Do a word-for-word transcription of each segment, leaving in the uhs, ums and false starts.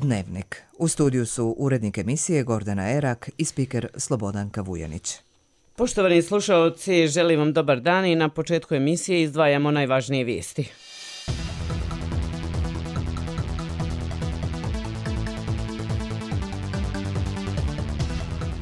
Dnevnik. U studiju su urednik emisije Gordana Erak i spiker Slobodanka Vujanić. Poštovani slušalci, želim vam dobar dan i na početku emisije izdvajamo najvažnije vijesti.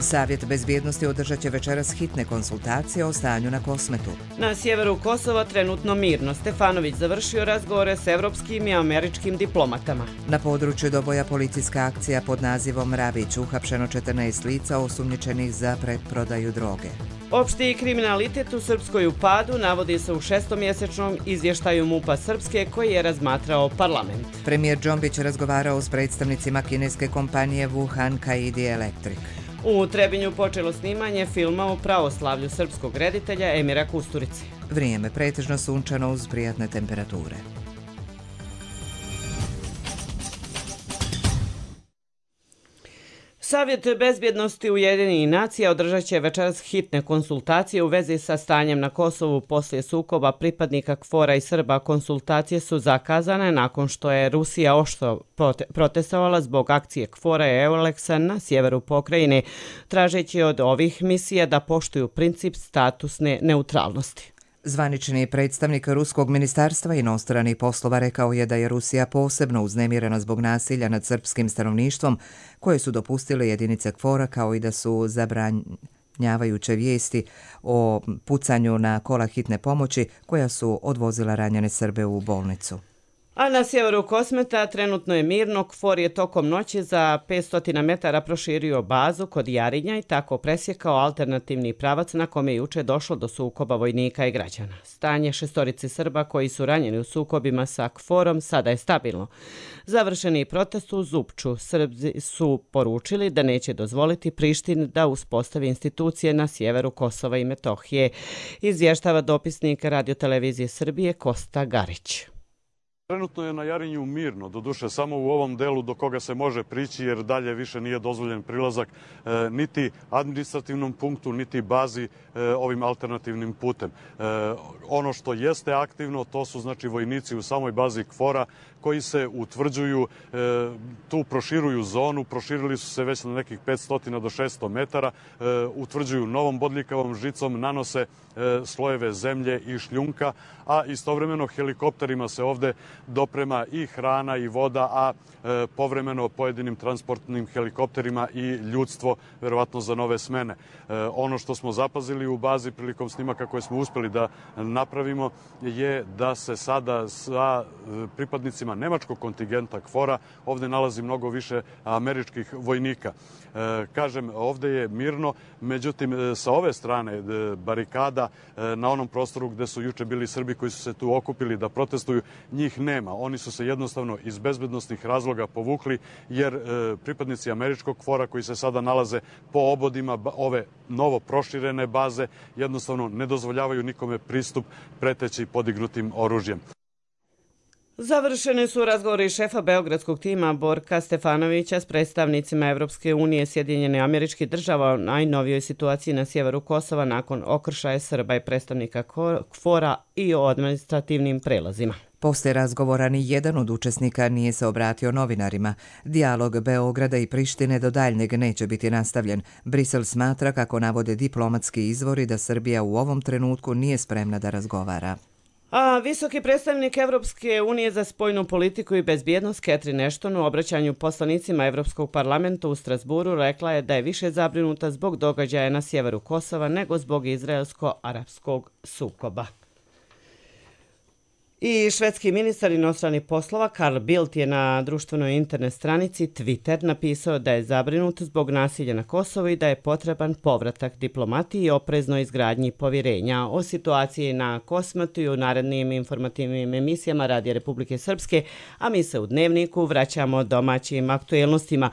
Savjet bezbjednosti održat će večeras hitne konsultacije o stanju na Kosmetu. Na sjeveru Kosova trenutno mirno. Stefanović završio razgovore s evropskim i američkim diplomatama. Na području Doboja policijska akcija pod nazivom Rabić, uhapšeno četrnaest lica osumnjičenih za preprodaju droge. Opšti kriminalitet u Srpskoj u padu navodi se u šestomjesečnom izvještaju MUP-a Srpske koji je razmatrao parlament. Premijer Džombić razgovarao s predstavnicima kineske kompanije Wuhan Kaidi Electric. U Trebinju počelo snimanje filma o pravoslavlju srpskog reditelja Emira Kusturice. Vrijeme pretežno sunčano uz prijatne temperature. Savjet bezbjednosti Ujedinjenih nacija održat će večeras hitne konsultacije u vezi sa stanjem na Kosovu poslije sukoba pripadnika KFOR-a i Srba. Konsultacije su zakazane nakon što je Rusija oštro protestovala zbog akcije KFOR-a i Euleksa na sjeveru pokrajine, tražeći od ovih misija da poštuju princip statusne neutralnosti. Zvanični predstavnik Ruskog ministarstva inostranih poslova rekao je da je Rusija posebno uznemirena zbog nasilja nad srpskim stanovništvom koje su dopustile jedinice KFOR-a, kao i da su zabranjavajuće vijesti o pucanju na kola hitne pomoći koja su odvozila ranjene Srbe u bolnicu. A na sjeveru Kosmeta trenutno je mirno. KFOR je tokom noći za petsto metara proširio bazu kod Jarinja i tako presjekao alternativni pravac na kome je juče došlo do sukoba vojnika i građana. Stanje šestorici Srba koji su ranjeni u sukobima sa KFOR-om sada je stabilno. Završeni protest u Zupču. Srbi su poručili da neće dozvoliti Prištini da uspostavi institucije na sjeveru Kosova i Metohije, izvještava dopisnik Radiotelevizije Srbije Kosta Garić. Trenutno je na Jarinju mirno, doduše samo u ovom delu do koga se može prići jer dalje više nije dozvoljen prilazak e, niti administrativnom punktu, niti bazi e, ovim alternativnim putem. E, ono što jeste aktivno to su znači vojnici u samoj bazi KFOR-a koji se utvrđuju, e, tu proširuju zonu, proširili su se već na nekih petsto do šesto metara, e, utvrđuju novom bodljikavom žicom, nanose e, slojeve zemlje i šljunka, a istovremeno helikopterima se ovde doprema i hrana i voda, a e, povremeno pojedinim transportnim helikopterima i ljudstvo, verovatno za nove smene. E, ono što smo zapazili u bazi prilikom snimaka koje smo uspeli da napravimo je da se sada sa pripadnicima nemačkog kontingenta KFOR-a ovde nalazi mnogo više američkih vojnika. E, kažem, ovde je mirno, međutim sa ove strane barikada e, na onom prostoru gde su juče bili Srbi koji su se tu okupili da protestuju, njih nema. Oni su se jednostavno iz bezbednosnih razloga povukli jer e, pripadnici američkog KFOR-a koji se sada nalaze po obodima ove novo proširene baze jednostavno ne dozvoljavaju nikome pristup preteći podignutim oružjem. Završeni su razgovori šefa beogradskog tima Borka Stefanovića s predstavnicima Evropske unije, Sjedinjene Američke Države o najnovijoj situaciji na sjeveru Kosova nakon okršaja Srba i predstavnika KFOR-a i o administrativnim prelazima. Poslije razgovora ni jedan od učesnika nije se obratio novinarima. Dijalog Beograda i Prištine do daljnjeg neće biti nastavljen. Brisel smatra, kako navode diplomatski izvori, da Srbija u ovom trenutku nije spremna da razgovara. A visoki predstavnik Evropske unije za spoljnu politiku i bezbjednost Catherine Ashton u obraćanju poslanicima Evropskog parlamenta u Strasburu rekla je da je više zabrinuta zbog događaja na sjeveru Kosova nego zbog izraelsko-arapskog sukoba. I švedski ministar inostranih poslova Carl Bildt je na društvenoj internet stranici Twitter napisao da je zabrinut zbog nasilja na Kosovu i da je potreban povratak diplomatiji i opreznoj izgradnji povjerenja. O situaciji na Kosmetu i u narednim informativnim emisijama Radija Republike Srpske, a mi se u Dnevniku vraćamo domaćim aktuelnostima.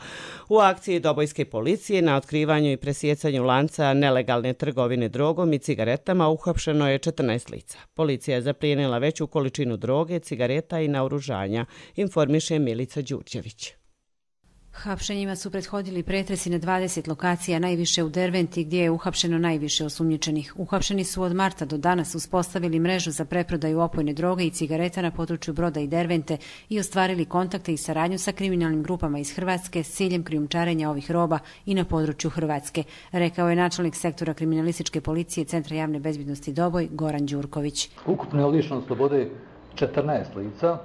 U akciji Dobojske policije na otkrivanju i presjecanju lanca nelegalne trgovine drogom i cigaretama uhapšeno je četrnaest lica. Policija je zaplijenila veću količinu droge, cigareta i naoružanja, informiše Milica Đurđević. Hapšenjima su prethodili pretresi na dvadeset lokacija, najviše u Derventi gdje je uhapšeno najviše osumnjičenih. Uhapšeni su od marta do danas uspostavili mrežu za preprodaju opojne droge i cigareta na području Broda i Dervente i ostvarili kontakte i saradnju sa kriminalnim grupama iz Hrvatske s ciljem krijumčarenja ovih roba i na području Hrvatske, rekao je načelnik sektora kriminalističke policije Centra javne bezbjednosti Doboj Goran Đurković. Ukupno je lišeno slobode četrnaest lica,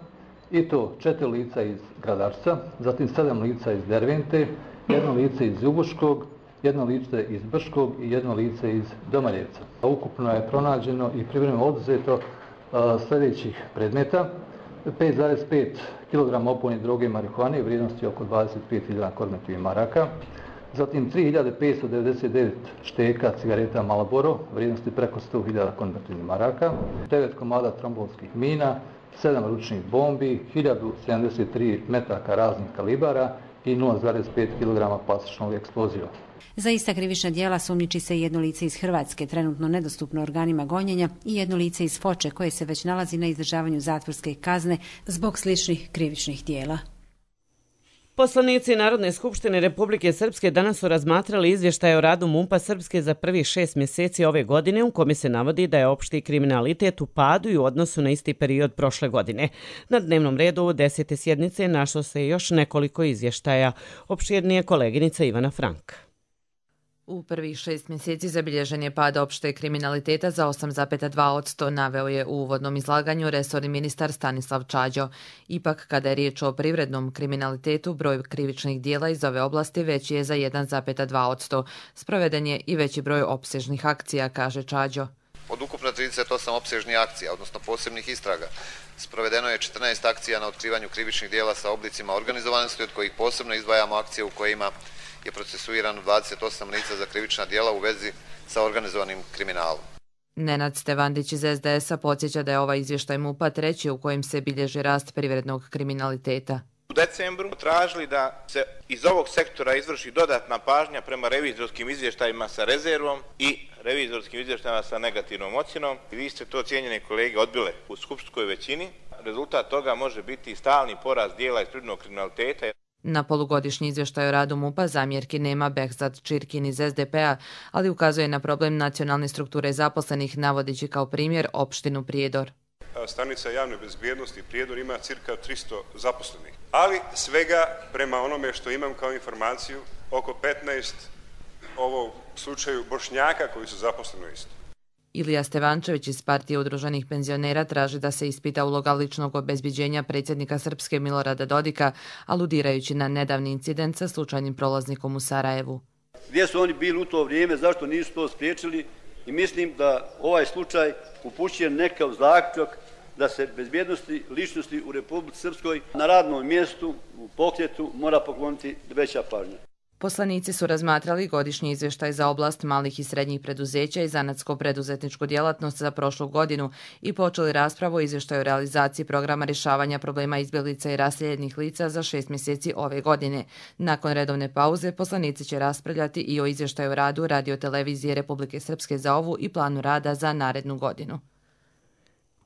i to četiri lica iz Gradačca, zatim sedam lica iz Dervente, jedno lice iz Ljubuškog, jedno lice iz Brškog i jedno lice iz Domaljevca. Ukupno je pronađeno i privremeno oduzeto uh, sljedećih predmeta: pet zarez pet kilograma opojne droge marihuane u vrijednosti oko dvadeset pet hiljada kornetovih maraka, zatim tri hiljade petsto devedeset devet šteka cigareta Marlboro u vrijednosti preko sto hiljada konvertivnih maraka, devet komada trombonskih mina, sedam ručnih bombi, hiljadu sedamdeset tri metaka raznih kalibara i nula zarez pet kilograma plastičnog eksploziva. Za ista krivična djela sumnjiči se jedno lice iz Hrvatske, trenutno nedostupno organima gonjenja, i jedno lice iz Foče koje se već nalazi na izdržavanju zatvorske kazne zbog sličnih krivičnih djela. Poslanici Narodne skupštine Republike Srpske danas su razmatrali izvještaj o radu MUP-a Srpske za prvih šest mjeseci ove godine, u kome se navodi da je opšti kriminalitet u padu i u odnosu na isti period prošle godine. Na dnevnom redu desete sjednice našlo se još nekoliko izvještaja. Opširnije koleginica Ivana Frank. U prvih šest mjeseci zabilježen je pad opšte kriminaliteta za osam zarez dva posto, naveo je u uvodnom izlaganju resorni ministar Stanislav Čađo. Ipak, kada je riječ o privrednom kriminalitetu, broj krivičnih dijela iz ove oblasti veći je za jedan zarez dva posto. Sproveden je i veći broj opsežnih akcija, kaže Čađo. Od ukupno trideset osam opsežnih akcija, odnosno posebnih istraga, sprovedeno je četrnaest akcija na otkrivanju krivičnih dijela sa oblicima organizovanosti, od kojih posebno izdvajamo akcije u kojima je procesuirano dvadeset osam lica za krivična djela u vezi sa organizovanim kriminalom. Nenad Stevandić iz es de es a podsjeća da je ovaj izvještaj MUP-a treći u kojem se bilježi rast privrednog kriminaliteta. U decembru tražili da se iz ovog sektora izvrši dodatna pažnja prema revizorskim izvještajima sa rezervom i revizorskim izvještajima sa negativnom ocjenom. I vi ste to, cijenjene kolege, odbile u skupštinskoj većini. Rezultat toga može biti stalni porast dijela iz privrednog kriminaliteta. Na polugodišnji izvještaj o radu MUP-a zamjerki nema Behzad Čirkin iz es de pe a, ali ukazuje na problem nacionalne strukture zaposlenih, navodeći kao primjer opštinu Prijedor. Stanica javne bezbjednosti Prijedor ima cirka tristo zaposlenih, ali svega, prema onome što imam kao informaciju, oko petnaest ovo slučaju Bošnjaka koji su zaposleni isto. Ilija Stevančević iz partije udruženih penzionera traži da se ispita uloga ličnog obezbiđenja predsjednika Srpske Milorada Dodika, aludirajući na nedavni incident sa slučajnim prolaznikom u Sarajevu. Gdje su oni bili u to vrijeme, zašto nisu to spriječili? I mislim da ovaj slučaj upućuje nekav zaključak da se bezbjednosti ličnosti u Republici Srpskoj na radnom mjestu, u pokretu, mora pokloniti veća pažnja. Poslanici su razmatrali godišnji izvještaj za oblast malih i srednjih preduzeća i zanatsko-preduzetničku djelatnost za prošlu godinu i počeli raspravu o izvještaju o realizaciji programa rješavanja problema izbjeglica i raseljenih lica za šest mjeseci ove godine. Nakon redovne pauze, poslanici će raspravljati i o izvještaju o radu Radio-televizije Republike Srpske za ovu i planu rada za narednu godinu.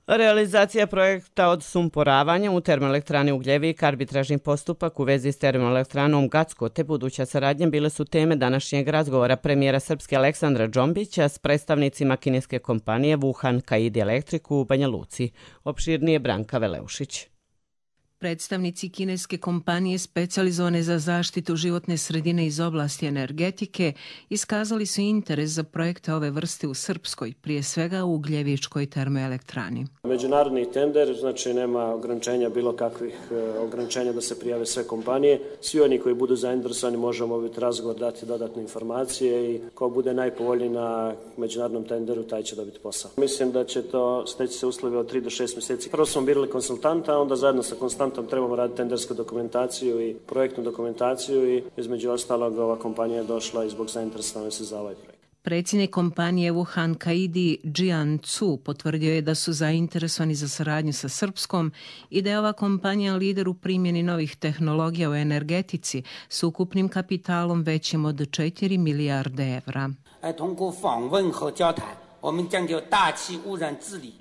Realizacija projekta odsumporavanja u termoelektrani Ugljevik, arbitražni postupak u vezi s termoelektranom Gacko te buduća saradnja bile su teme današnjeg razgovora premijera Srpske Aleksandra Džombića s predstavnicima kineske kompanije Wuhan Kaidi Electric u Banja Luci. Opširnije Branka Veleušić. Predstavnici kineske kompanije specijalizovane za zaštitu životne sredine iz oblasti energetike iskazali su interes za projekte ove vrste u Srpskoj, prije svega u Ugljevičkoj termoelektrani. Međunarodni tender, znači nema ograničenja, bilo kakvih ograničenja da se prijave sve kompanije. Svi oni koji budu zainteresovani možemo obaviti razgovor, dati dodatne informacije i ko bude najpovoljniji na međunarodnom tenderu, taj će dobiti posao. Mislim da će to steći se uslovi od tri do šest mjeseci. Prvo smo birali konsultanta, onda zajedno sa konsultantom trebamo raditi tendersku dokumentaciju i projektnu dokumentaciju i između ostalog ova kompanija je došla i zbog zainteresovanosti za ovaj projekt. Predsjednik kompanije Wuhan Kaidi Jian Cu potvrdio je da su zainteresovani za saradnju sa Srpskom i da je ova kompanija lider u primjeni novih tehnologija u energetici s ukupnim kapitalom većim od četiri milijarde evra.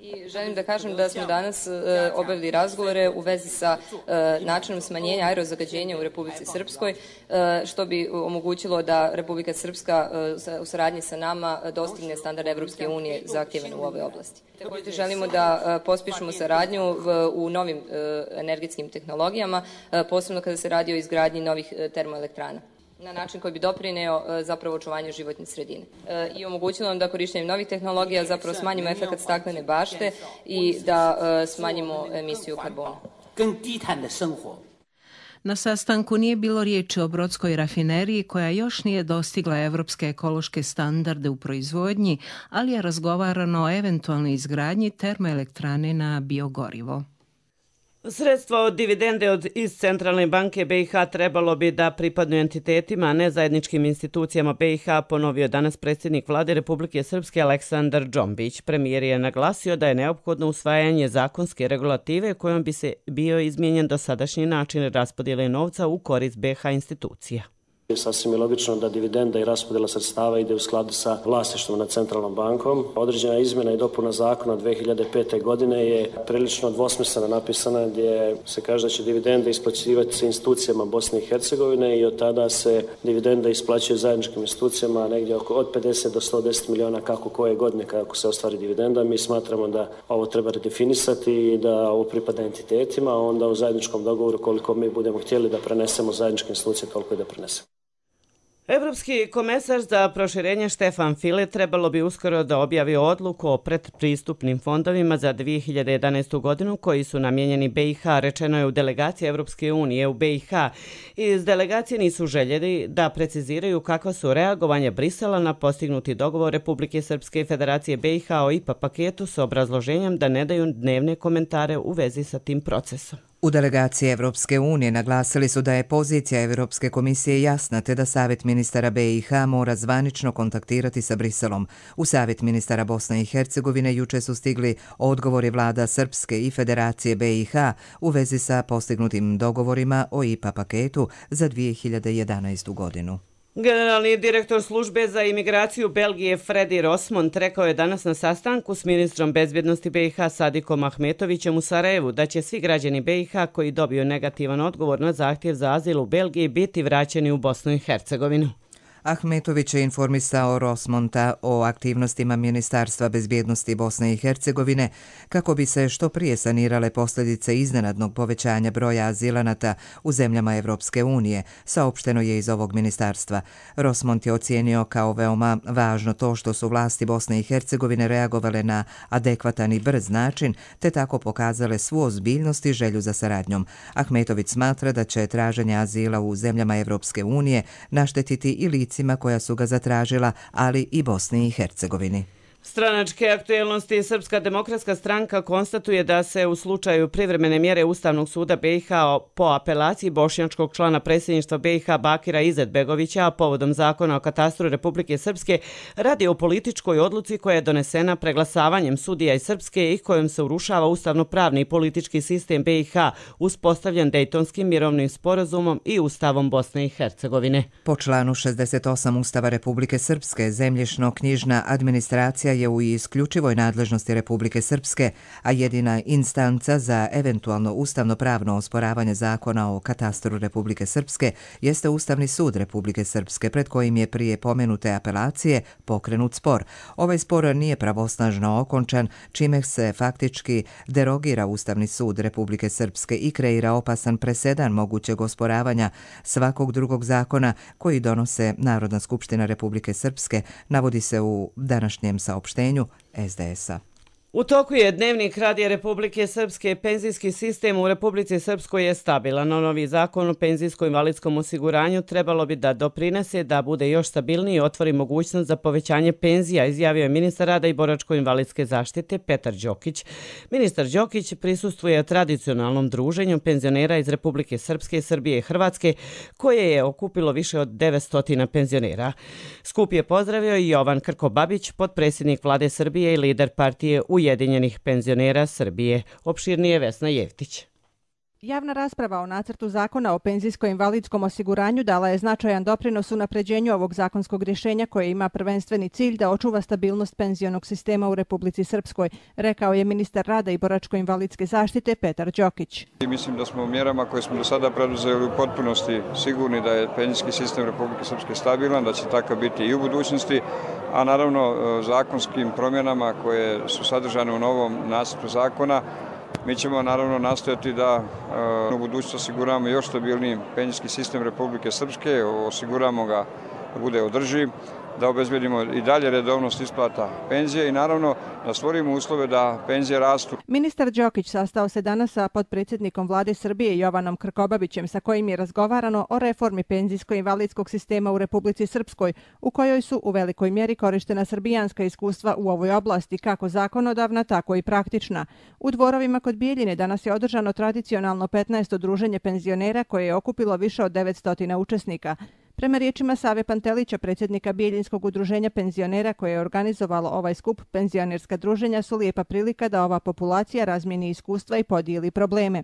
I želim da kažem da smo danas e, obavili razgovore u vezi sa e, načinom smanjenja aerozagađenja u Republici Srpskoj, e, što bi omogućilo da Republika Srpska e, u saradnji sa nama dostigne standard Evropske unije zahtjevan u ovoj oblasti. Također želimo da e, pospišemo saradnju v, u novim e, energetskim tehnologijama, e, posebno kada se radi o izgradnji novih e, termoelektrana, na način koji bi doprineo zapravo očuvanju životne sredine. E, I omogućilo nam da korištenjem novih tehnologija zapravo smanjimo efekt staklene bašte i da e, smanjimo emisiju karbona. Na sastanku nije bilo riječi o brodskoj rafineriji koja još nije dostigla evropske ekološke standarde u proizvodnji, ali je razgovarano o eventualnoj izgradnji termoelektrane na biogorivo. Sredstva od dividende od, iz Centralne banke B i H trebalo bi da pripadnu entitetima, a ne zajedničkim institucijama B i H, ponovio danas predsjednik Vlade Republike Srpske Aleksandar Džombić. Premijer je naglasio da je neophodno usvajanje zakonske regulative kojom bi se bio izmijenjen dosadašnji način raspodjele novca u korist B i H institucija. Sasvim je logično da dividenda i raspodjela sredstava ide u skladu sa vlasništvom nad Centralnom bankom. Određena izmjena i dopuna zakona dvije hiljade pete. godine je prilično dvosmisleno napisana, gdje se kaže da će dividende isplaćivati se institucijama Bosne i Hercegovine i od tada se dividenda isplaćuje zajedničkim institucijama negdje oko od pedeset do sto deset miliona kako koje godine kako se ostvari dividenda. Mi smatramo da ovo treba redefinisati i da ovo pripada entitetima, a onda u zajedničkom dogovoru koliko mi budemo htjeli da prenesemo zajedničke institucije, toliko i da prenesemo. Evropski komesar za proširenje Štefan File trebalo bi uskoro da objavi odluku o predpristupnim fondovima za dvije hiljade jedanaestu. godinu koji su namijenjeni B i H, rečeno je u delegaciji Evropske unije u B i H. Iz delegacije nisu željeli da preciziraju kakva su reagovanja Brisela na postignuti dogovor Republike Srpske i Federacije B i H o I P A paketu s obrazloženjem da ne daju dnevne komentare u vezi sa tim procesom. U delegaciji Evropske unije naglasili su da je pozicija Evropske komisije jasna te da Savjet ministara B i H mora zvanično kontaktirati sa Briselom. U Savjet ministara Bosne i Hercegovine juče su stigli odgovori vlada Srpske i Federacije B i H u vezi sa postignutim dogovorima o I P A paketu za dvije hiljade jedanaestu. godinu. Generalni direktor službe za imigraciju Belgije Fredi Rosmont rekao je danas na sastanku s ministrom bezbjednosti B i H Sadikom Ahmetovićem u Sarajevu da će svi građani B i H koji dobiju negativan odgovor na zahtjev za azil u Belgiji biti vraćeni u Bosnu i Hercegovinu. Ahmetović je informisao Rosmonta o aktivnostima Ministarstva bezbjednosti Bosne i Hercegovine kako bi se što prije sanirale posljedice iznenadnog povećanja broja azilanata u zemljama Evropske unije, saopšteno je iz ovog ministarstva. Rosmont je ocijenio kao veoma važno to što su vlasti Bosne i Hercegovine reagovale na adekvatan i brz način, te tako pokazale svu ozbiljnost i želju za saradnjom. Ahmetović smatra da će traženje azila u zemljama Evropske unije naštetiti i lici koja su ga zatražila, ali i Bosni i Hercegovini. Stranačke aktuelnosti. Srpska demokratska stranka konstatuje da se u slučaju privremene mjere Ustavnog suda B i H po apelaciji bošnjačkog člana predsjedništva B i H Bakira Izetbegovića, a povodom zakona o katastru Republike Srpske, radi o političkoj odluci koja je donesena preglasavanjem sudija iz Srpske i kojom se urušava ustavno-pravni i politički sistem B i H uspostavljen Dejtonskim mirovnim sporazumom i Ustavom Bosne i Hercegovine. Po članu šezdeset osam Ustava Republike Srpske, zemljišno-knjižna administracija je u isključivoj nadležnosti Republike Srpske, a jedina instanca za eventualno ustavno-pravno osporavanje zakona o katastru Republike Srpske jeste Ustavni sud Republike Srpske, pred kojim je prije pomenute apelacije pokrenut spor. Ovaj spor nije pravosnažno okončan, čime se faktički derogira Ustavni sud Republike Srpske i kreira opasan presedan mogućeg osporavanja svakog drugog zakona koji donose Narodna skupština Republike Srpske, navodi se u današnjem saopštenju S D S-a. U toku je dnevnik Radija Republike Srpske. Penzijski sistem u Republici Srpskoj je stabilan. Novi zakon o penzijsko-invalidskom osiguranju trebalo bi da doprinese da bude još stabilniji i otvori mogućnost za povećanje penzija, izjavio je ministar rada i boračko-invalidske zaštite Petar Đokić. Ministar Đokić prisustvuje tradicionalnom druženju penzionera iz Republike Srpske, Srbije i Hrvatske, koje je okupilo više od devetsto penzionera. Skup je pozdravio i Jovan Krkobabić, potpredsjednik vlade Srbije i lider partije Ujedinjenih penzionera Srbije. Opširnije Vesna Jevtić. Javna rasprava o nacrtu zakona o penzijsko-invalidskom osiguranju dala je značajan doprinos unapređenju ovog zakonskog rješenja koje ima prvenstveni cilj da očuva stabilnost penzionog sistema u Republici Srpskoj, rekao je ministar rada i boračko-invalidske zaštite Petar Đokić. Mislim da smo u mjerama koje smo do sada preduzeli u potpunosti sigurni da je penzijski sistem Republike Srpske stabilan, da će takav biti i u budućnosti, a naravno zakonskim promjenama koje su sadržane u novom nacrtu zakona mi ćemo naravno nastojati da u budućnosti osiguramo još stabilniji penzijski sistem Republike Srpske, osiguramo ga da bude održiv, da obezbedimo i dalje redovnost isplata penzije i naravno da stvorimo uslove da penzije rastu. Ministar Đokić sastao se danas sa potpredsjednikom vlade Srbije Jovanom Krkobabićem sa kojim je razgovarano o reformi penzijsko-invalidskog sistema u Republici Srpskoj, u kojoj su u velikoj mjeri korištena srbijanska iskustva u ovoj oblasti, kako zakonodavna, tako i praktična. U dvorovima kod Bijeljine danas je održano tradicionalno petnaesto druženje penzionera koje je okupilo više od devetsto učesnika. Prema riječima Save Pantelića, predsjednika Bijeljinskog udruženja penzionera koje je organizovalo ovaj skup, penzionerska druženja su lijepa prilika da ova populacija razmijeni iskustva i podijeli probleme.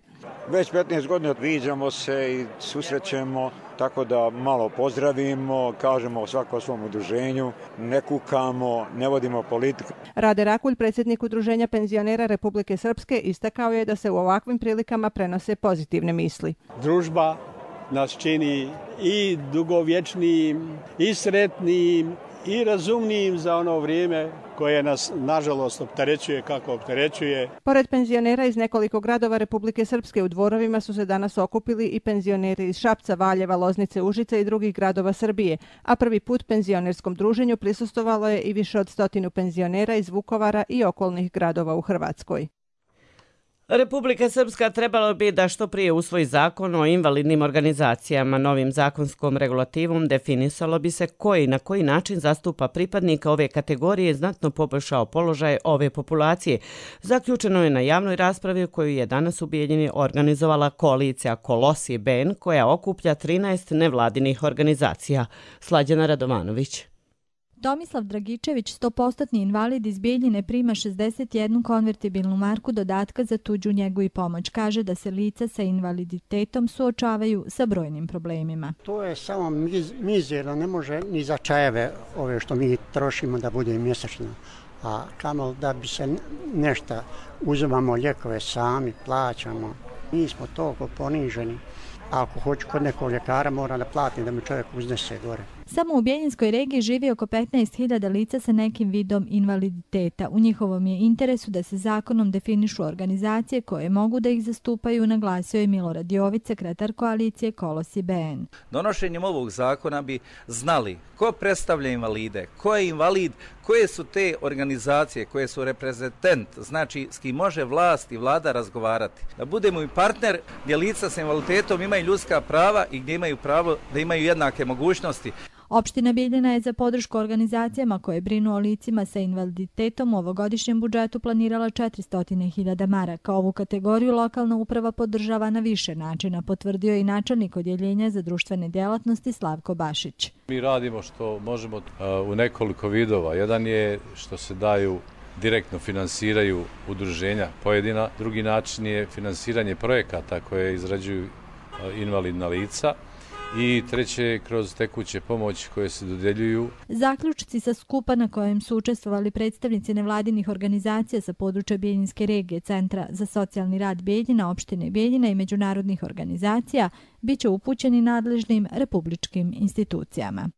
Već petnaest godina viđamo se i susrećemo, tako da malo pozdravimo, kažemo svako o svom udruženju, ne kukamo, ne vodimo politiku. Rade Rakulj, predsjednik udruženja penzionera Republike Srpske, istakao je da se u ovakvim prilikama prenose pozitivne misli. Družba nas čini i dugovječnijim, i sretnijim, i razumnijim za ono vrijeme koje nas, nažalost, opterećuje kako opterećuje. Pored penzionera iz nekoliko gradova Republike Srpske u dvorovima su se danas okupili i penzioneri iz Šapca, Valjeva, Loznice, Užice i drugih gradova Srbije, a prvi put penzionerskom druženju prisustvovalo je i više od stotinu penzionera iz Vukovara i okolnih gradova u Hrvatskoj. Republika Srpska trebalo bi da što prije usvoji zakon o invalidnim organizacijama. Novim zakonskom regulativom definisalo bi se koji na koji način zastupa pripadnika ove kategorije znatno poboljšao položaj ove populacije. Zaključeno je na javnoj raspravi koju je danas u Bijeljini organizovala koalicija Kolosi B N koja okuplja trinaest nevladinih organizacija. Slađana Radovanović. Tomislav Dragičević, sto posto invalid iz Bijeljine, prima šezdeset jednu konvertibilnu marku dodatka za tuđu njegu i pomoć. Kaže da se lica sa invaliditetom suočavaju sa brojnim problemima. To je samo miz, mizerno, ne može ni za čajeve ove što mi trošimo da bude mjesečno. A kamo da bi se nešto, uzimamo lijekove sami, plaćamo. Mi smo toliko poniženi. A ako hoću kod nekog ljekara mora da platim da mi čovjek uznese gore. Samo u Bijeljinskoj regiji živi oko petnaest hiljada lica sa nekim vidom invaliditeta. U njihovom je interesu da se zakonom definišu organizacije koje mogu da ih zastupaju, naglasio je Milorad Jović, sekretar koalicije Kolosi B N. Donošenjem ovog zakona bi znali ko predstavlja invalide, ko je invalid, koje su te organizacije, koje su reprezentant, znači s kim može vlast i vlada razgovarati. Da budemo i partner gdje lica sa invaliditetom imaju ljudska prava i gdje imaju pravo da imaju jednake mogućnosti. Opština Bijeljina je za podršku organizacijama koje brinu o licima sa invaliditetom u ovogodišnjem budžetu planirala četiristo hiljada maraka. Ovu kategoriju lokalna uprava podržava na više načina, potvrdio i načelnik odjeljenja za društvene djelatnosti Slavko Bašić. Mi radimo što možemo u nekoliko vidova. Jedan je što se daju direktno finansiraju udruženja pojedina. Drugi način je finansiranje projekata koje izrađuju invalidna lica. I treće kroz tekuće pomoći koje se dodeljuju. Zaključci sa skupa na kojem su učestvovali predstavnici nevladinih organizacija sa područja Bijeljinske regije, Centra za socijalni rad Bijeljina, opštine Bijeljina i međunarodnih organizacija biće upućeni nadležnim republičkim institucijama.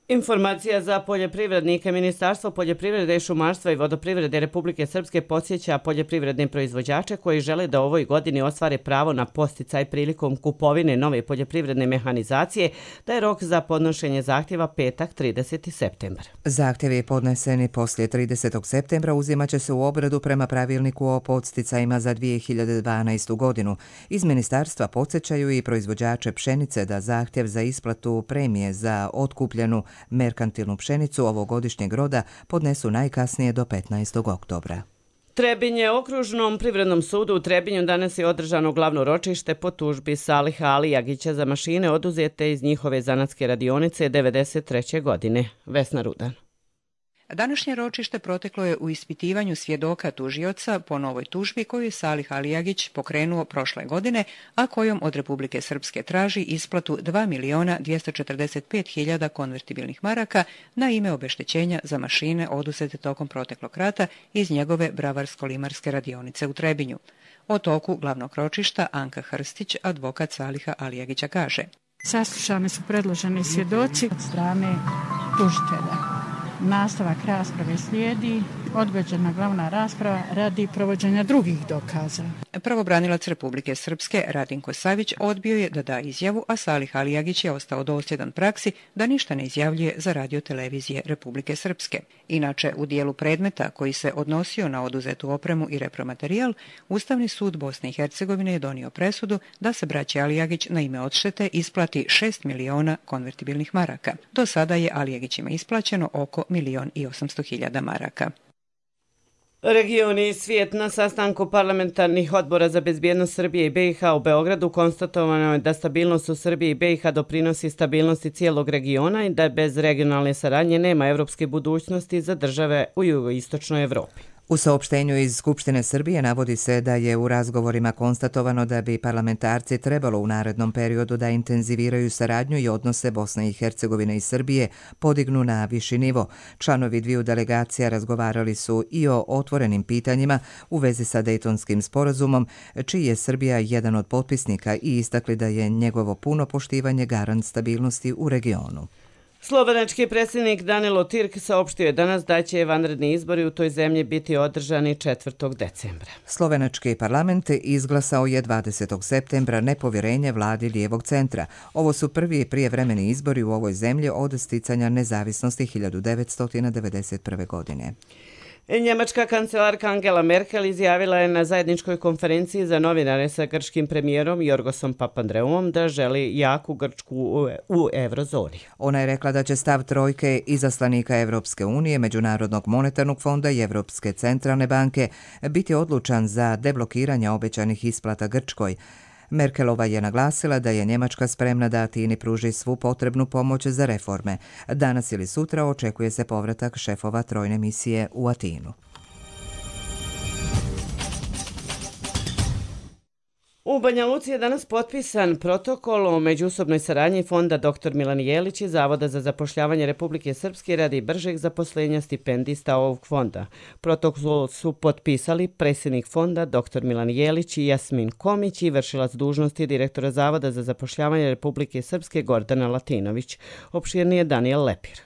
Informacija za poljoprivrednike. Ministarstvo poljoprivrede, šumarstva i vodoprivrede Republike Srpske podsjeća poljoprivredne proizvođače koji žele da u ovoj godini ostvare pravo na podsticaj prilikom kupovine nove poljoprivredne mehanizacije, da je rok za podnošenje zahtjeva petak trideseti septembar. Zahtjevi podneseni poslije tridesetog septembra uzimat će se u obradu prema pravilniku o podsticajima za dvije hiljade dvanaestu godinu. Iz ministarstva podsjećaju i proizvođače pšenice da zahtjev za isplatu premije za otkupljenu merkantilnu pšenicu ovogodišnjeg roda podnesu najkasnije do petnaestog oktobra. Trebinje okružnom privrednom sudu u Trebinju danas je održano glavno ročište po tužbi Saliha Alijagića za mašine oduzete iz njihove zanatske radionice devedeset treće godine. Vesna Rudan. Današnje ročište proteklo je u ispitivanju svjedoka tužioca po novoj tužbi koju je Salih Alijagić pokrenuo prošle godine, a kojom od Republike Srpske traži isplatu dva miliona dvjesto četrdeset pet hiljada konvertibilnih maraka na ime obeštećenja za mašine oduzete tokom proteklog rata iz njegove bravarsko-limarske radionice u Trebinju. O toku glavnog ročišta Anka Hrstić, advokat Saliha Alijagića, kaže: Saslušani su predloženi svjedoci od strane tužitelja. Nastavak rasprave slijedi, odgođena glavna rasprava radi provođenja drugih dokaza. Pravobranilac Republike Srpske Radinko Savić odbio je da da izjavu, a Salih Alijagić je ostao dosljedan praksi da ništa ne izjavljuje za radio televizije Republike Srpske. Inače, u dijelu predmeta koji se odnosio na oduzetu opremu i repromaterijal, Ustavni sud Bosne i Hercegovine je donio presudu da se braći Alijagić na ime odštete isplati šest miliona konvertibilnih maraka. Do sada je Alijagićima isplaćeno oko milion i osamsto hiljada maraka. Region i svijet. Na sastanku parlamentarnih odbora za bezbjednost Srbije i B i H u Beogradu konstatovano je da stabilnost u Srbiji i B i H doprinosi stabilnosti cijelog regiona i da bez regionalne saradnje nema evropske budućnosti za države u jugoistočnoj Evropi. U saopštenju iz Skupštine Srbije navodi se da je u razgovorima konstatovano da bi parlamentarci trebalo u narednom periodu da intenziviraju saradnju i odnose Bosne i Hercegovine i Srbije podignu na viši nivo. Članovi dviju delegacija razgovarali su i o otvorenim pitanjima u vezi sa Dejtonskim sporazumom, čiji je Srbija jedan od potpisnika, i istakli da je njegovo puno poštivanje garant stabilnosti u regionu. Slovenački predsjednik Danilo Tirk saopštio je danas da će vanredni izbori u toj zemlji biti održani četvrtog decembra. Slovenački parlament izglasao je dvadesetog septembra nepovjerenje vladi lijevog centra. Ovo su prvi prijevremeni izbori u ovoj zemlji od sticanja nezavisnosti hiljadu devetsto devedeset prve. godine. Njemačka kancelarka Angela Merkel izjavila je na zajedničkoj konferenciji za novinare sa grčkim premijerom Jorgosom Papandreouom da želi jaku Grčku u, u eurozoni. Ona je rekla da će stav trojke izaslanika Evropske unije, Međunarodnog monetarnog fonda i Evropske centralne banke biti odlučan za deblokiranje obećanih isplata Grčkoj. Merkelova je naglasila da je Njemačka spremna da Atini pruži svu potrebnu pomoć za reforme. Danas ili sutra očekuje se povratak šefova trojne misije u Atinu. U Banja Luci je danas potpisan protokol o međusobnoj saradnji Fonda doktor Milan Jelić i Zavoda za zapošljavanje Republike Srpske radi bržeg zaposlenja stipendista ovog fonda. Protokol su potpisali predsjednik fonda doktor Milan Jelić i Jasmin Komić i vršilac dužnosti direktora Zavoda za zapošljavanje Republike Srpske Gordana Latinović. Opširnije Daniel Lepir.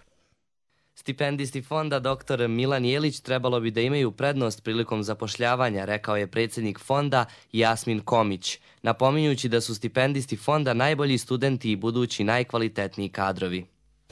Stipendisti fonda doktor Milan Jelić trebalo bi da imaju prednost prilikom zapošljavanja, rekao je predsjednik fonda Jasmin Komić, napominjući da su stipendisti fonda najbolji studenti i budući najkvalitetniji kadrovi.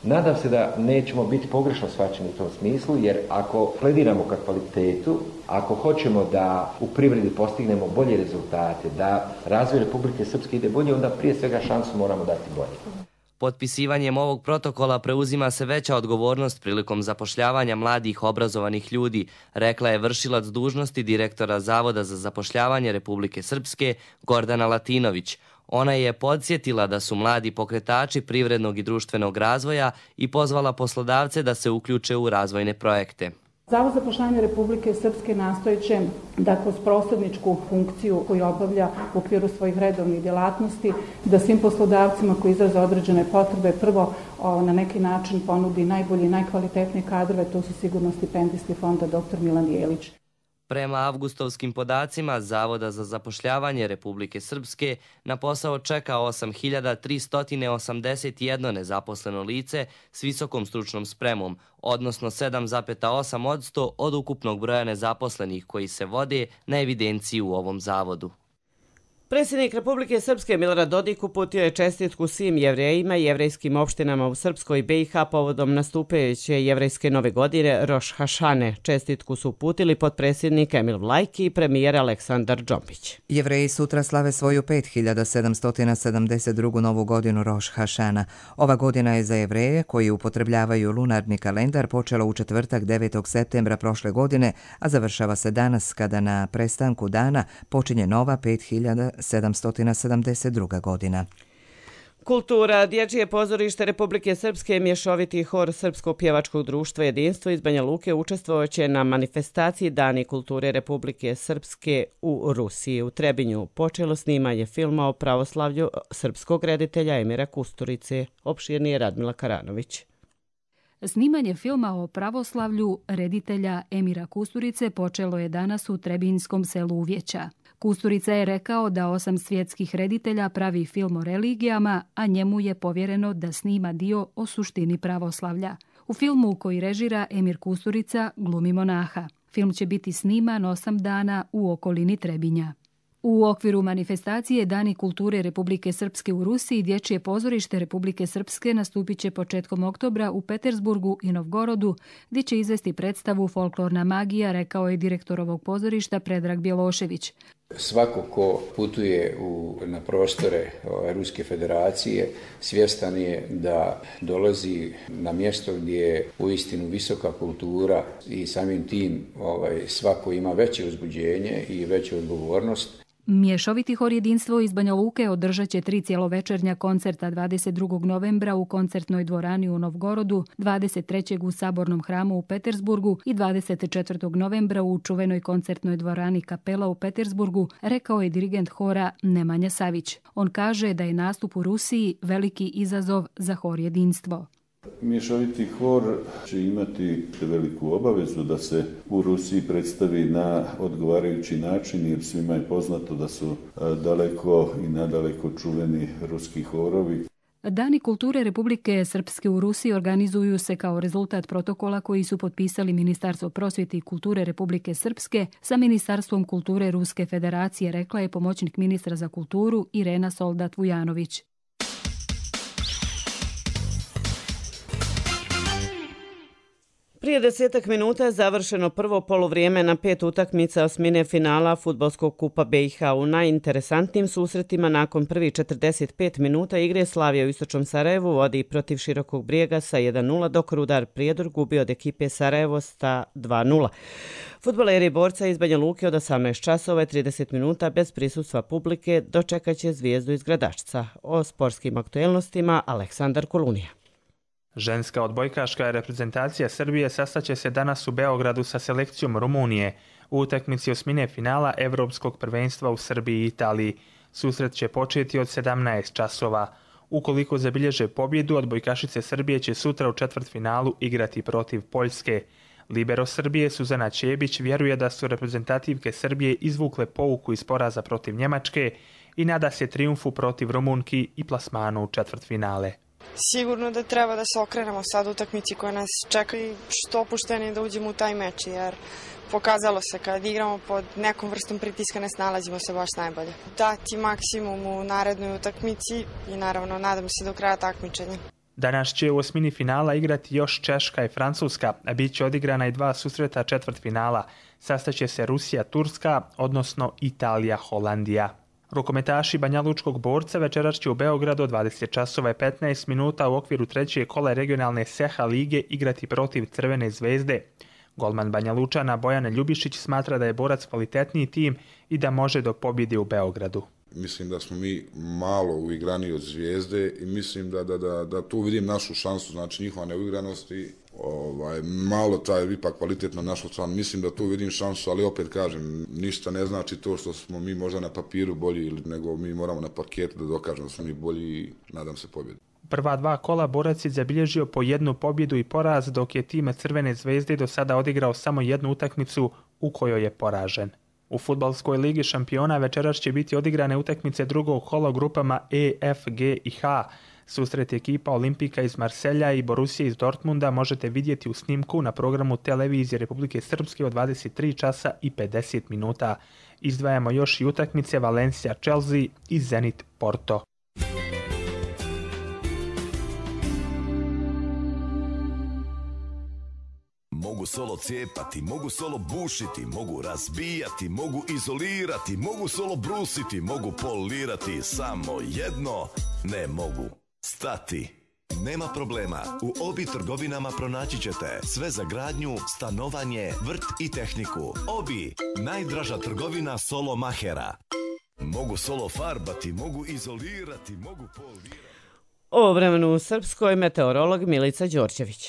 Nadam se da nećemo biti pogrešno shvaćeni u tom smislu, jer ako plediramo ka kvalitetu, ako hoćemo da u privredi postignemo bolje rezultate, da razvoj Republike Srpske ide bolje, onda prije svega šansu moramo dati bolje. Potpisivanjem ovog protokola preuzima se veća odgovornost prilikom zapošljavanja mladih obrazovanih ljudi, rekla je vršilac dužnosti direktora Zavoda za zapošljavanje Republike Srpske Gordana Latinović. Ona je podsjetila da su mladi pokretači privrednog i društvenog razvoja i pozvala poslodavce da se uključe u razvojne projekte. Zavod za zapošljavanje Republike Srpske nastojeće da kroz prostorničku funkciju koju obavlja u okviru svojih redovnih djelatnosti, da svim poslodavcima koji izraze određene potrebe prvo o, na neki način ponudi najbolji i najkvalitetnije kadrove, to su sigurno stipendisti fonda doktor Milan Jelić. Prema avgustovskim podacima Zavoda za zapošljavanje Republike Srpske na posao čeka osam hiljada tristo osamdeset jedno nezaposleno lice s visokom stručnom spremom, odnosno sedam zarez osam posto od ukupnog broja nezaposlenih koji se vode na evidenciji u ovom zavodu. Predsjednik Republike Srpske Milorad Dodik uputio je čestitku svim jevrejima i jevrejskim opštinama u Srpskoj i B i H povodom nastupajuće jevrejske nove godine Roš Hašane. Čestitku su uputili potpredsjednik Emil Vlajki i premijer Aleksandar Džombić. Jevreji sutra slave svoju pet hiljada sedamsto sedamdeset drugu novu godinu Roš Hašana. Ova godina je za Jevreje koji upotrebljavaju lunarni kalendar počela u četvrtak devetog septembra prošle godine, a završava se danas kada na prestanku dana počinje nova pet hiljada sedamsto sedamdeset druga godina. Kultura. Dječje pozorište Republike Srpske, mješoviti hor Srpskog pjevačkog društva Jedinstvo iz Banja Luke učestvovaće na manifestaciji Dani kulture Republike Srpske u Rusiji. U Trebinju počelo snimanje filma o pravoslavlju srpskog reditelja Emira Kusturice. Opširnije Radmila Karanović. Snimanje filma o pravoslavlju reditelja Emira Kusturice počelo je danas u Trebinjskom selu Uvjeća. Kusturica je rekao da osam svjetskih reditelja pravi film o religijama, a njemu je povjereno da snima dio o suštini pravoslavlja. U filmu koji režira Emir Kusturica glumi monaha. Film će biti sniman osam dana u okolini Trebinja. U okviru manifestacije Dani kulture Republike Srpske u Rusiji, Dječje pozorište Republike Srpske nastupit će početkom oktobra u Petersburgu i Novgorodu, gdje će izvesti predstavu Folklorna magija, rekao je direktor ovog pozorišta Predrag Bjelošević. Svako ko putuje u, na prostore Ruske federacije svjestan je da dolazi na mjesto gdje je uistinu visoka kultura i samim tim ovaj, svako ima veće uzbuđenje i veću odgovornost. Mješoviti hor Jedinstvo iz Banja Luke održat će tri cjelovečernja koncerta dvadeset drugog novembra u koncertnoj dvorani u Novgorodu, dvadeset trećeg u Sabornom hramu u Petersburgu i dvadeset četvrtog novembra u čuvenoj koncertnoj dvorani Kapela u Petersburgu, rekao je dirigent hora Nemanja Savić. On kaže da je nastup u Rusiji veliki izazov za hor Jedinstvo. Mješoviti hor će imati veliku obavezu da se u Rusiji predstavi na odgovarajući način, jer svima je poznato da su daleko i nadaleko čuveni ruski horovi. Dani kulture Republike Srpske u Rusiji organizuju se kao rezultat protokola koji su potpisali Ministarstvo prosvjete i kulture Republike Srpske sa Ministarstvom kulture Ruske federacije, rekla je pomoćnik ministra za kulturu Irena Soldat-Vujanović. Prije desetak minuta završeno prvo poluvrijeme na pet utakmica osmine finala Fudbalskog kupa B i H. U najinteresantnijim susretima nakon prvih četrdeset pet minuta igre Slavija u Istočnom Sarajevu vodi protiv Širokog Brijega sa jedan nula, dok Rudar Prijedor gubi od ekipe Sarajevo sa dva nula. Fudbaleri Borca iz Banja Luke od osamnaest časova i trideset minuta bez prisustva publike dočekat će Zvijezdu iz Gradačca. O sportskim aktuelnostima Aleksandar Kolunija. Ženska odbojkaška reprezentacija Srbije sastaće se danas u Beogradu sa selekcijom Rumunije u utakmici osmine finala Evropskog prvenstva u Srbiji i Italiji. Susret će početi od sedamnaest časova. Ukoliko zabilježe pobjedu, odbojkašice Srbije će sutra u četvrtfinalu igrati protiv Poljske. Libero Srbije Suzana Ćebić vjeruje da su reprezentativke Srbije izvukle pouku iz poraza protiv Njemačke i nada se trijumfu protiv Rumunki i plasmanu u četvrtfinale. Sigurno da treba da se okrenemo sad utakmici koja nas čeka i što opušteni da uđemo u taj meč, jer pokazalo se kad igramo pod nekom vrstom pritiska ne snalazimo se baš najbolje. Dati maksimum u narednoj utakmici i naravno nadam se do kraja takmičenja. Danas će u osmini finala igrati još Češka i Francuska, a bit će odigrana i dva susreta četvrtfinala. Sastaće se Rusija-Turska, odnosno Italija-Holandija. Rukometaši Banjalučkog Borca večeras će u Beogradu od dvadeset časova i petnaest minuta u okviru treće kola regionalne S E H A lige igrati protiv Crvene zvezde. Golman Banjalučana Bojan Ljubišić smatra da je Borac kvalitetniji tim i da može do pobjede u Beogradu. Mislim da smo mi malo uigrani od Zvijezde i mislim da, da, da, da tu vidim našu šansu, znači njihova neuigranost i ovaj, malo taj ipak kvalitetno našu stranu. Mislim da tu vidim šansu, ali opet kažem, ništa ne znači to što smo mi možda na papiru bolji, nego mi moramo na parketu da dokažemo da smo mi bolji i nadam se pobjedu. Prva dva kola Borac je zabilježio po jednu pobjedu i poraz, dok je tim Crvene zvezde do sada odigrao samo jednu utakmicu u kojoj je poražen. U Fudbalskoj ligi šampiona večeras će biti odigrane utakmice drugog kola u grupama E, F, G i H. Susret ekipa Olimpika iz Marselja i Borussia iz Dortmunda možete vidjeti u snimku na programu televizije Republike Srpske od dvadeset tri časa i pedeset minuta. Izdvajamo još i utakmice Valencia Chelsea i Zenit Porto. Mogu solo cijepati, mogu solo bušiti, mogu razbijati, mogu izolirati, mogu solo brusiti, mogu polirati, samo jedno ne mogu. Stati. Nema problema, u Obi trgovinama pronaći ćete sve za gradnju, stanovanje, vrt i tehniku. Obi, najdraža trgovina solo mahera. Mogu solo farbati, mogu izolirati, mogu polirati. O vremenu u Srpskoj meteorolog Milica Đorđević.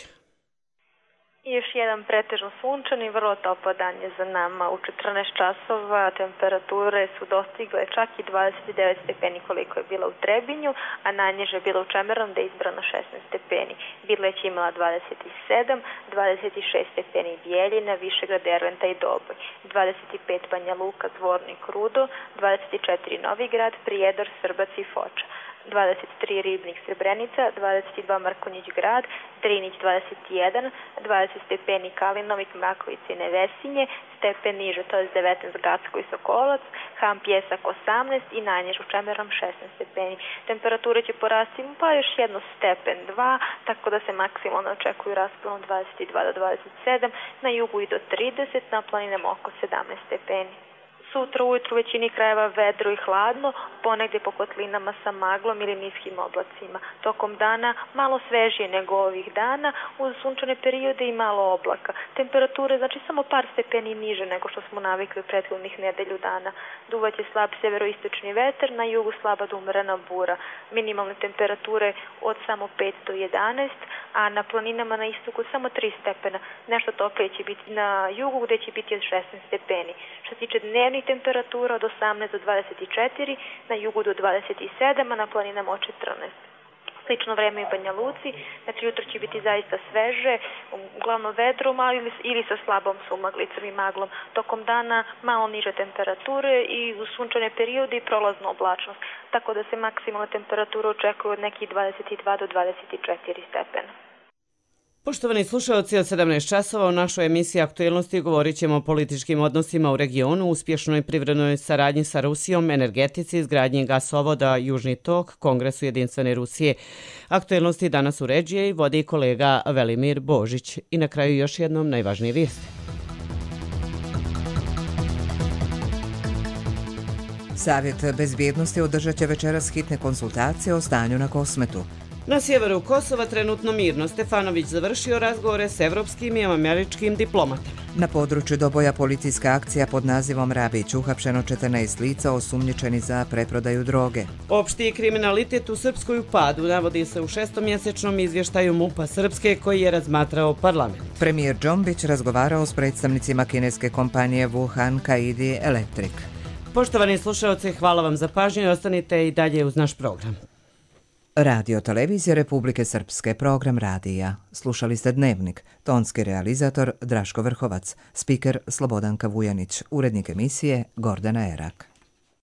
Još jedan pretežno sunčan i vrlo topao dan je za nama. U četrnaest časova temperature su dostigle čak i dvadeset devet stepeni koliko je bila u Trebinju, a najniže je bila u Čemernom gde je izbrano šesnaest stepeni. Bileć je imala dvadeset sedam, dvadeset šest stepeni Bijeljina, Višegrad, Derventa i Doboj, dvadeset pet Banja Luka, Zvornik, Rudo, dvadeset četiri Novigrad, Prijedor, Srbac i Foča, dvadeset tri Ribnik, Srebrenica, dvadeset dva Mrkonjić Grad, Drinić dvadeset jedan, dvadeset stepeni Kalinovik, Mrakovica i Nevesinje, stepen niže, to je devetnaest Gacko i Sokolac, Ham Pjesak osamnaest i najniže u Čemernom šesnaest stepeni. Temperature će porasti pa još jedno stepen, dva, tako da se maksimalno očekuju raspon od dvadeset dva do dvadeset sedam, na jugu i do trideset, na planinama oko sedamnaest stepeni. Sutra ujutru u većini krajeva vedro i hladno, ponegdje po kotlinama sa maglom ili niskim oblacima. Tokom dana malo svežije nego ovih dana, uz sunčane periode i malo oblaka. Temperature znači samo par stepeni niže nego što smo navikli u prethodnih nedelju dana. Duvaće slab severoistočni vetar, na jugu slaba do umerena bura. Minimalne temperature od samo pet do jedanaest, a na planinama na istoku samo tri stepena. Nešto toplije će biti na jugu gdje će biti od šesnaest stepeni. Što se tiče dnevnih temperatura od osamnaest do dvadeset četiri, na jugu do dvadeset sedam, a na planinama od četrnaest. Slično vreme i Banja Luci, znači jutro će biti zaista sveže, uglavnom vedrom, ali ili sa slabom sumaglicom i maglom. Tokom dana malo niže temperature i u sunčane periode i prolaznu oblačnost, tako da se maksimalna temperatura očekuje od nekih dvadeset dva do dvadeset četiri stepena. Poštovani slušalci, od sedamnaest časova u našoj emisiji Aktuelnosti govorit ćemo o političkim odnosima u regionu, uspješnoj privrednoj saradnji sa Rusijom, energetici, izgradnji gasovoda Južni tok, Kongresu Jedinstvene Rusije. Aktuelnosti danas uređuje i vodi kolega Velimir Božić. I na kraju još jednom najvažnije vijesti. Savjet bezbjednosti održat će večeras hitne konsultacije o stanju na Kosmetu. Na sjeveru Kosova trenutno mirno. Stefanović završio razgovore s evropskim i američkim diplomatama. Na području Doboja policijska akcija pod nazivom Rabić, uhapšeno četrnaest lica osumnjičeni za preprodaju droge. Opšti kriminalitet u Srpskoj u padu, navodi se u šestomjesečnom izvještaju MUP-a Srpske koji je razmatrao parlament. Premijer Džombić razgovarao s predstavnicima kineske kompanije Wuhan Kaidi Electric. Poštovani slušalci, hvala vam za pažnju i ostanite i dalje uz naš program. Radio Televizije Republike Srpske, program radija. Slušali ste Dnevnik, tonski realizator Draško Vrhovac, spiker Slobodanka Vujanić, urednik emisije Gordana Erak.